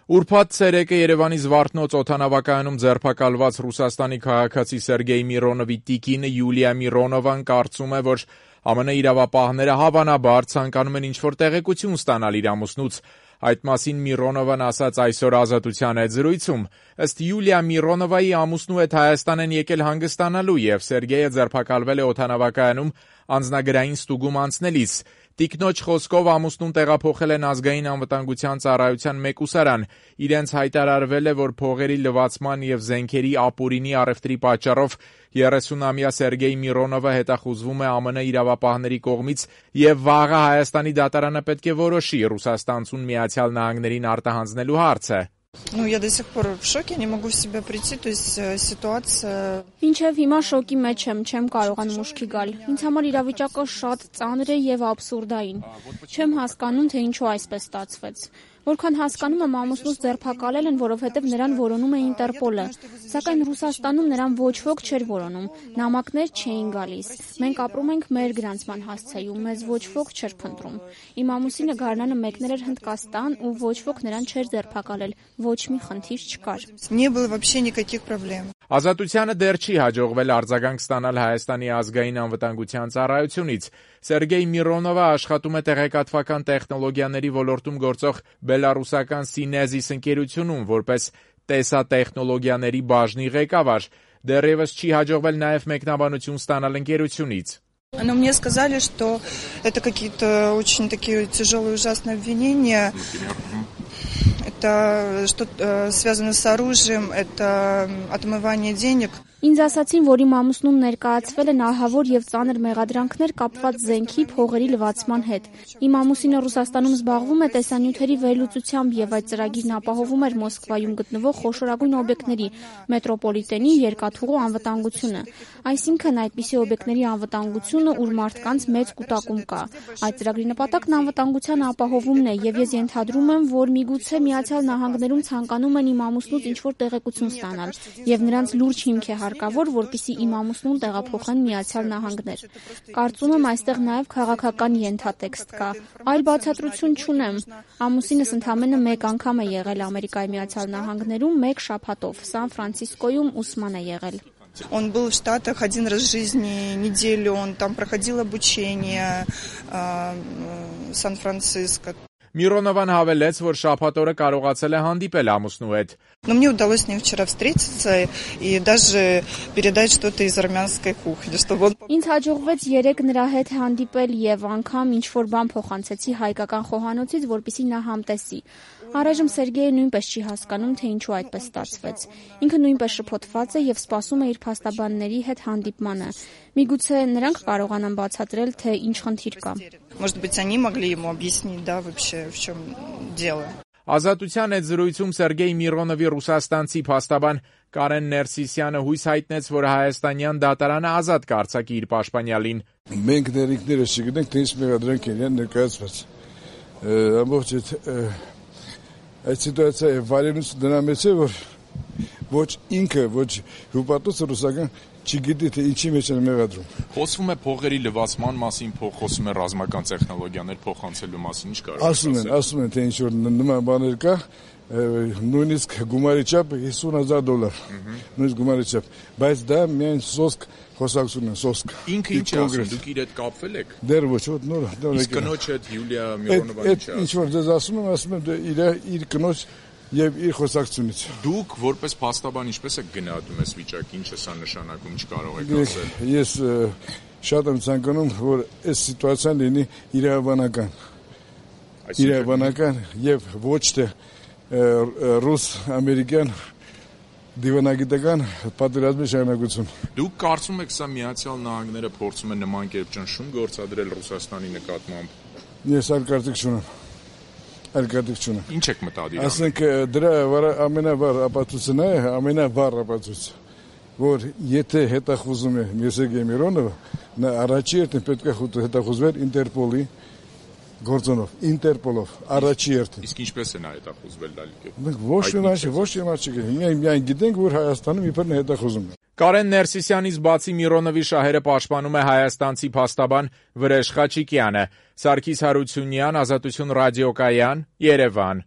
Ուրբաթ ցերեկը Երևանի Զվարթնոց օդանավակայանում ձերբակալված Ռուսաստանի քաղաքացի Սերգեյ Միրոնովի տիկինը Յուլիա Միրոնովան կարծում է, որ ԱՄՆ իրավապահները հավանաբար ցանկանում են ինչ-որ տեղեկություն ստանալ իր ամուսնուց։ Այդ մասին Միրոնովան ասաց այսօր Ազատության հետ զրույցում։ Ըստ Յուլիա Միրոնովայի ամուսնու հետ Հայաստան են եկել հանգստանալու եւ Սերգեյը ձերբակալվել է օդանավակայանում անձնագրային ստուգում անցնելիս։ Տիկնոջ խոսքով ամուսնուն տեղափոխել են ազգային անվտանգության ծառայության մեկուսարան։ Իրենց հայտարարվել է, որ փողերի լվացման եւ զենքերի ապօրինի առևտրի պատճառով 30-ամյա Սերգեյ Միրոնովը հետախուզվում է ԱՄՆ իրավապահների կողմից եւ վաղը Հայաստանի դատարանը պետք է որոշի Ռուսաստանցուն Միացյալ Նահանգներին արտահանձնելու հարցը։ Я до сих пор в шоке, не могу в себя прийти, то есть ситуация... Մինչև հիմա շոկի մեջ չեմ կարողանում ուշքի գալ։ Ինձ համար իրավիճակը շատ ծանր է եւ աբսուրդային։ Չեմ հասկանում, թե ինչու այսպես ստացվեց։ Որքան հասկանում եմ, ամուսնուս ձերբակալել են, որովհետև նրան որոնում է Ինտերպոլը։ Սակայն Ռուսաստանում նրան ոչ ոք չէր որոնում։ Նամակներ չէին գալիս։ Մենք ապրում ենք մեր գրանցման հասցեում, մեզ ոչ ոք չէր փնտրում։ Իմ ամուսինը գարնանը մեկնել էր Հնդկաստան ու ոչ ոք նրան չէր ձերբակալել։ Ոչ մի խնդիր չկար։ Не было вообще никаких проблем. Ազատությանը դեռ չի հաջողվել արձագանք ստանալ Հայաստանի ազգային անվտանգության ծառայությունից։ Սերգեյ Միրոնովը աշխատում է տեղեկատվական տեխնոլոգիաների ոլորտում գործող բելարուսական Սինեզիս ընկերությունում որպես տեսատեխնոլոգիաների բաժնի ղեկավար։ Դեռևս չի հաջողվել նաև մեկնաբանություն ստանալ ընկերությունից։ Но мне сказали, что это какие-то очень такие тяжелые, ужасные обвинения. Это что-то связано с оружием, это отмывание денег. Ինձ ասացին, որ իմ ամուսնուն ներկայացվել են ահավոր եւ ծանր մեղադրանքներ կապված զենքի փողերի լվացման հետ։ Իմ ամուսինը Ռուսաստանում զբաղվում է տեսանյութերի վերլուծությամբ եւ այդ ծրագիրն ապահովում էր Մոսկվայում գտնվող խոշորագույն օբյեկտների մետրոպոլիտենի երկաթուղու անվտանգությունը։ Այսինքն այդպիսի օբյեկտների անվտանգությունը, ուր մարդկանց մեծ կուտակում կա։ Այդ ծրագրի նպատակն անվտանգության ապահովումն է եւ ես ենթադրում եմ, որ միգուցե Միացյալ Նահանգներում ցանկանում են իմ ամուսնուց ինչ-որ տեղեկություն ստանալ եւ նրանց լուրջ հիմք է հարկավոր, որպեսզի իմ ամուսնուն տեղափոխեն Միացյալ Նահանգներ։ Կարծում եմ այստեղ նաև քաղաքական ենթատեքստ կա։ Այլ բացատրություն չունեմ։ Ամուսինս ընդամենը մեկ անգամ է եղել Ամերիկայի Միացյալ Նահանգներում մեկ շաբաթով, Սան Ֆրանցիսկոյում ուսման է եղել։ Он был в Штатах один раз в жизни, неделю, он там проходил обучение Сан-Франциско. Միրոնովան հավելեց, որ շաբաթօրը կարողացել է հանդիպել ամուսնու հետ։ Но мне удалось с ним вчера встретиться и даже передать что-то из армянской кухни, чтобы он... Ինձ հաջողվեց 3 նրա հետ հանդիպել եւ անգամ ինչ-որ բան փոխանցեցի հայկական խոհանոցից, որպեսզի նա համտեսի։ Առայժմ Սերգեյը նույնպես չի հասկանում, թե ինչու այդպես ստացվեց։ Ինքը նույնպես շփոթված է եւ սպասում է իր փաստաբանների հետ հանդիպմանը։ Միգուցե նրանք կարողանան բացատրել, թե ինչ խնդիր կա։ Может быть, они могли ему объяснить, да, вообще в чем дело. Ազատության հետ զրույցում Սերգեյ Միրոնովի ռուսաստանցի փաստաբան Կարեն Ներսիսյանը հույս հայտնեց, որ հայաստանյան դատարանը ազատ կարձակի իր պաշտպանյալին։ Մենք ներիկները չգիտենք, թե ինչ մեղադրանք են ներկայացված։ Ամբողջ այդ սիտուացիայի վարենությունը դրա մեջ է, որ ոչ ինքը, ոչ հյուպատոսը ռուսական չգիտի, թե ինչի մեջ են մեղադրում։ Խոսվում է փողերի լվացման մասին, խոսում է ռազմական տեխնոլոգիաներ փոխանցելու մասին, ինչ կարող է։ Ասում են, թե ինչ-որ նման բաներ կա, նույնիսկ գումարի չափը $50,000, նույնիսկ գումարի չափ, բայց դա միայն սոսկ խոսակցությունն է, սոսկ։ Ինքը ինչ է ասում, դուք իր հետ կապվել եք։ Դեռ ոչ, նոր։ Իսկ կնոջ հետ Յուլիա Միրոնովան ինչ է ասում։ Ինչ-որ դες ասում եմ իր կնոջ եւ իր խոսակցությունից։ Դուք որպես փաստաբան ինչպես եք գնահատում այս վիճակը, ինչ է սա նշանակում, ինչ կարող եք ասել։ Ես շատ եմ ցանկանում, որ այս սիտուացիան լինի իրավաբանական եւ ոչ թե ռուս-ամերիկյան դիվանագիտական պատերազմի շարունակություն։ Դուք կարծում եք սա Միացյալ Նահանգները փորձում է նման կերպ ճնշում գործադրել Ռուսաստանի նկատմամբ։ Ես արկարդիկ չունեմ։ Ինչ եք մտադիր։ Ասենք դրա ամենավառ ապացույցը, որ եթե հետախուզում է Սերգեյ Միրոնովը, նա առաջի երթին պետք է հետախուզվեր Ինտերպոլի գործոնով, Ինտերպոլով, առաջի երթին։ Իսկ ինչպես է նա հետախուզվել դալիք։ Մենք ոչ մի բան չգիտենք, միայն գիտենք, որ Հայաստանում իբր հետախուզում է։ Կարեն Ներսիսյանից բացի Միրոնովի շահերը պաշտպանում է հայաստանցի փաստաբան Վրեժ Խաչիկյանը։ Սարգիս Հարությունյան, Ազատություն ռադիոկայան, Երևան։